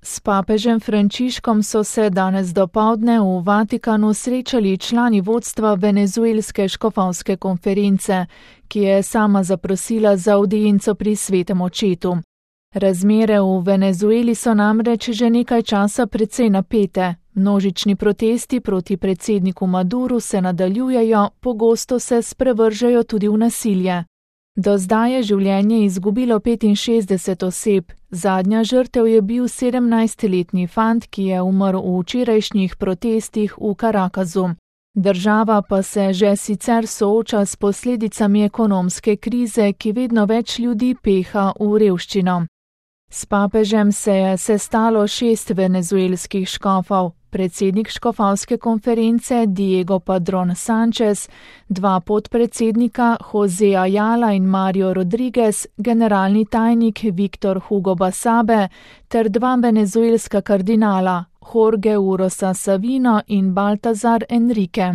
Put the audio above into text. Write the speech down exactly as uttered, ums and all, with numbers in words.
S papežem Frančiškom so se danes dopoldne v Vatikanu srečali člani vodstva venezuelske škofovske konference, ki je sama zaprosila za avdienco pri svetem očetu. Razmere v Venezueli so namreč že nekaj časa precej napete. Množični protesti proti predsedniku Maduru se nadaljujejo, pogosto se sprevržejo tudi v nasilje. Do zdaj je življenje izgubilo petinšestdeset oseb, zadnja žrtev je bil sedemnajstletni fant, ki je umrl v včerajšnjih protestih v Carakasu. Država pa se že sicer sooča s posledicami ekonomske krize, ki vedno več ljudi peha v revščino. S papežem se je sestalo šest venezuelskih škofov, predsednik škofovske konference Diego Padrón Sánchez, dva podpredsednika José Ayala in Mario Rodríguez, generalni tajnik Víctor Hugo Basabe ter dva venezuelska kardinala, Jorge Urosa Savino in Baltazar Enrique.